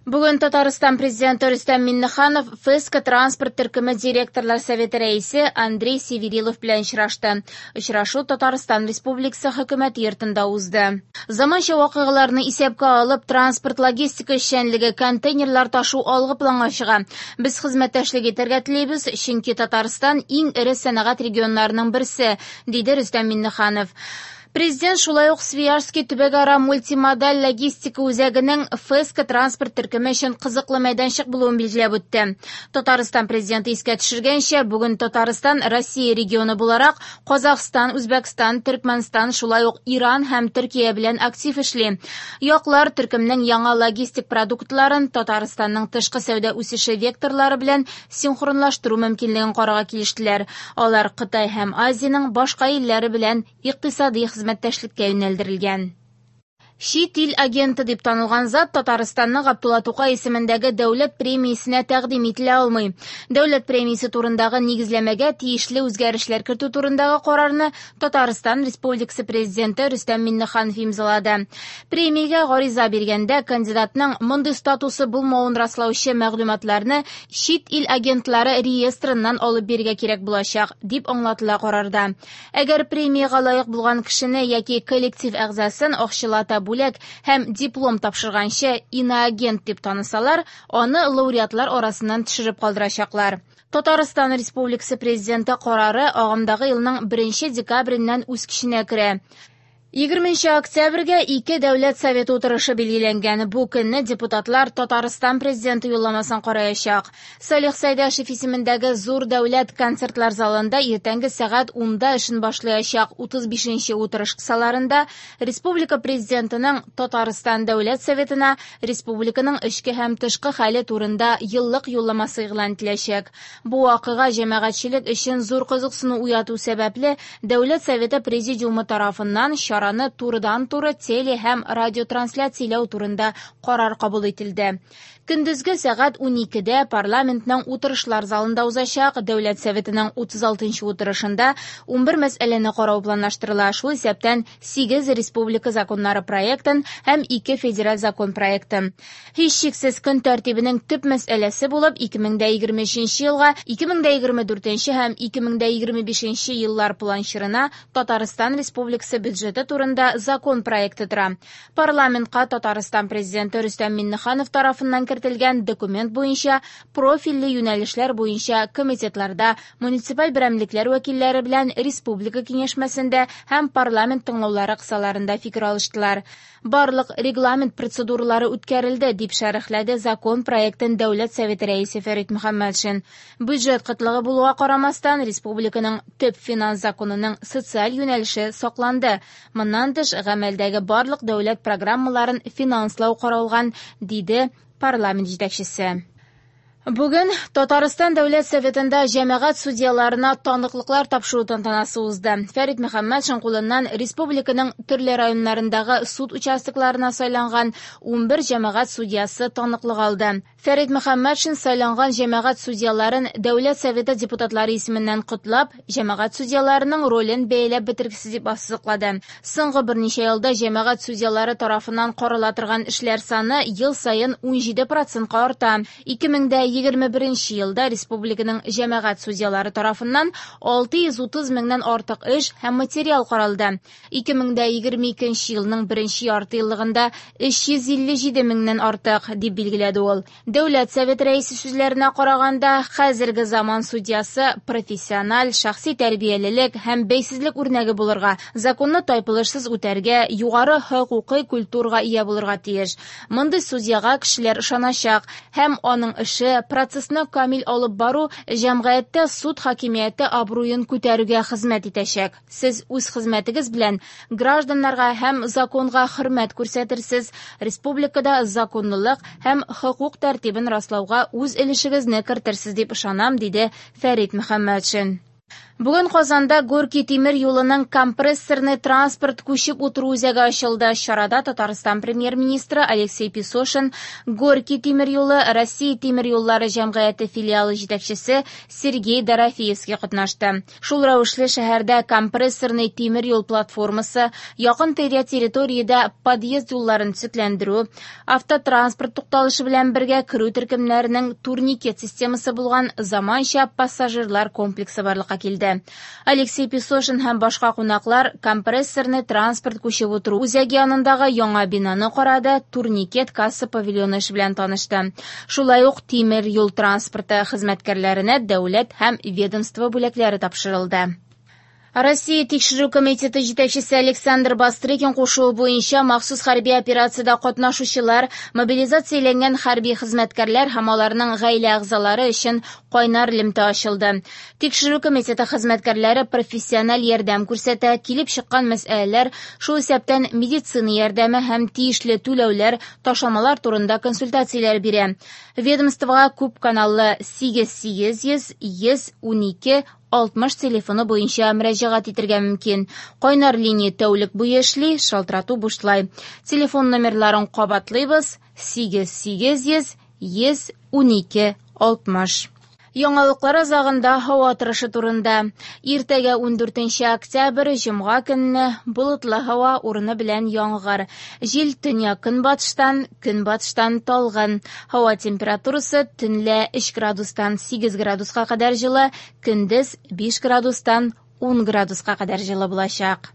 Бүген Татарстан Президенты Рөстәм Миңнеханов ФЭСКО транспорт төркеме директорлар советы рәисе Андрей Северилов белән очрашты. Очрашу Татарстан Республикасы Хөкүмәте йортында узды. Заманча вакыйгаларны исәпкә алып, транспорт-логистика эшчәнлеге, контейнерлар ташу алгы планга чыга. Без хезмәттәшлек итәргә телибез, чөнки Татарстан иң эре сәнәгать регионнарының берсе, диде Рөстәм Миңнеханов. Президент шулай ук Свияжский төбәкара мультимодаль логистика үзәгенең ФЭСКО транспорт төркеме өчен кызыклы мәйданчык булуын билгеләп үтте. Татарстан президенты искә төшергәнчә, бүген Татарстан Россия регионы буларак Казахстан, Үзбәкстан, Төркмәнстан, шулай ук Иран һәм Төркия белән актив эшли. Яклар төркемнең яңа логистик продуктларын Татарстанның тышкы сәүдә үсеше векторлары белән синхронлаштыру мөмкинлеген карарга килештеләр. Алар Кытай һәм Азиянең башка илләре белән икътисади хезмәттәшлеккә юнәлдерелгән. Чит ил агенты дип танылган зат Татарстанның Габдулла Тукай исемендәге дәүләт премиясенә тәкъдим ителә алмый. Дәүләт премиясе турындагы нигезләмәгә тиешле үзгәрешләр кертү турындагы карарны Татарстан Республикасы Президенты Рөстәм Миңнеханов имзалады. Премиягә гариза биргәндә кандидатның мондый статусы булмавын раслаучы мәгълүматларны чит ил агентлары реестрыннан алып бирергә кирәк булачак, дип аңлатыла карарда. Әгәр премиягә лаек булган кешене яки коллектив әгъзасын акчалата бүләк һәм диплом тапшырганчы иноагент дип танысалар, аны лауреатлар арасыннан төшереп калдырачаклар. Татарстан Республикасы Президенты карары агымдагы елның 1 декабреннән үз көченә керә. 20 октябрьгә ике дәүләт советы утырышы билгеләнгән. Бу көнне депутатлар Татарстан президенты юлламасын караячак. Салих Сәйдәшев исемендәге зур дәүләт концертлар залында иртәнге сәгать 10-да эшен башлаячак 35-нче утырыш кысаларында республика президентының Татарстан дәүләт советына республиканың эчке һәм тышкы хәле турында еллык юлламасы игълан ителәчәк. Бу вакыйга җәмәгатьчелек өчен зур кызыксыну уяту сәбәпле, Дәүләт Советы Президиумы тарафыннан чараны турыдан-туры теле һәм радиотрансляцияләү турында карар кабул ителде. Көндезге сәгать 12-дә парламентның утырышлар залында узачак Дәүләт Советының 36-нчы утырышында 11 мәсьәләне карау планлаштырыла, шул исәптән 8 республика законнары проектын һәм 2 федераль закон проектын. Һичшиксез көн тәртибенең төп мәсьәләсе булып 2023 елга 2024 һәм 2025 еллар планчырына Татарстан Республикасы бюджеты турында закон проекты тора. Парламентка Татарстан президенты Рөстәм Миңнеханов тарафыннан кертелгән документ буенча профильле юнәлешләр буенча комитетларда муниципаль берәмлекләр вәкилләре белән республика киңәшмәсендә һәм парламент тыңлаулары кысаларында фикер алыштылар. Барлык регламент процедуралары үткәрелде, дип шәрехләде закон проектын Дәүләт Советы рәисе Фәрит Мөхәммәтшин. Бюджет кытлыгы булуга карамастан, республиканың төп финанс законының социаль юнәлеше сакланды. Моннан тыш, гамәлдәге барлык дәүләт программаларын финанслау каралган, диде парламент җитәкчесе. Бүген Татарстан Дәүләт Советында җәмәгать судьяларына таныклыклар тапшыру тантанасы узды. Фәрит Мөхәммәтшин кулыннан республиканың төрле районнарындагы суд участокларына сайланган 11 җәмәгать судьясы таныклык алды. Фәрит Мөхәммәтшин сайланган җәмәгать судьяларын Дәүләт Советы депутатлары исеменнән котлап, җәмәгать судьяларының ролен бәяләп бетергесез дип ассызыклады. Соңгы берничә елда җәмәгать судьялары тарафыннан карала торган эшләр саны ел саен 17%-ка арта. 2021 елда республиканың җәмәгать судьялары тарафыннан 630 меңнән артык эш һәм материал каралды. 2022 елның беренче ярты еллыгында 357 меңнән артык, дип билгеләде ул. Дәүләт Советы рәисе сүзләренә караганда, хәзерге заман судьясы профессиональ, шәхси тәрбиялелек һәм бәйсезлек үрнәге булырга, законны тайпылышсыз үтәргә, югары хокукый культурага ия булырга тиеш. Мондый судьяга кешеләр ышаначак һәм аның эше, процессны камил алып бару җәмгыятьтә суд хакимияте абруен күтәрүгә хезмәт итәчәк. Сез үз хезмәтегез белән гражданнарга һәм законга хөрмәт күрсәтерсез, республикада законлылык һәм хокук тәртибен раслауга үз өлешегезне кертерсез дип ышанам, диде Фәрит Мөхәммәтшин. Бүген Казанда Горький тимер юлының компрессорный транспорт күчеп утыру үзәге ачылды. Чарада Татарстан премьер-министры Алексей Песошин, Горький тимер юлы Россия тимер юллары җәмгыяте филиалы җитәкчесе Сергей Дорофеевский катнашты. Шул рәвешле шәһәрдә компрессорный тимер юл платформасы, якын-тирә территориядә подъезд юлларын төзекләндерү, автотранспорт тукталышы белән бергә керү төркемнәренең турникет системасы булган заманча пассажирлар комплексы барлыкка килде. Алексей Песошин һәм башка кунаклар компрессорный транспорт күчеп утыру үзәге янындагы яңа бинаны карады, турникет касса павильоны эше белән танышты. Шулай ук тимер юл транспорты хезмәткәрләренә дәүләт һәм ведомство бүләкләре тапшырылды. Россия Тикшерү комитеты җитәкчесе Александр Бастрыкин кушуы буенча махсус хәрби операциядә катнашучылар, мобилизацияләнгән хәрби хезмәткәрләр һәм аларның гаилә әгъзалары өчен кайнар элемтә ачылды. Тикшерү комитеты хезмәткәрләре профессиональ ярдәм күрсәтә, килеп чыккан мәсьәләләр, шул исәптән медицина ярдәме һәм тиешле түләүләр, ташламалар турында консультацияләр бирә. Ведомствога күп каналлы 8800 112 60 телефоны буенча мөрәҗәгать итәргә мөмкин. Кайнар линия тәүлек буе эшли, шалтырату бушлай. Телефон номерларын кабатлыйбыз: 8800 112 60. Яңалыклар азагында һава торышы турында. Иртәгә 14 октябрь, җомга көнне болытлы һава урыны белән яңгыр. Җил төньяк-көнбатыштан, көнбатыштан талгын. Һава температурасы төнлә 3 градустан 8 градуска кадәр җылы, көндез 5 градустан 10 градуска кадәр җылы булачак.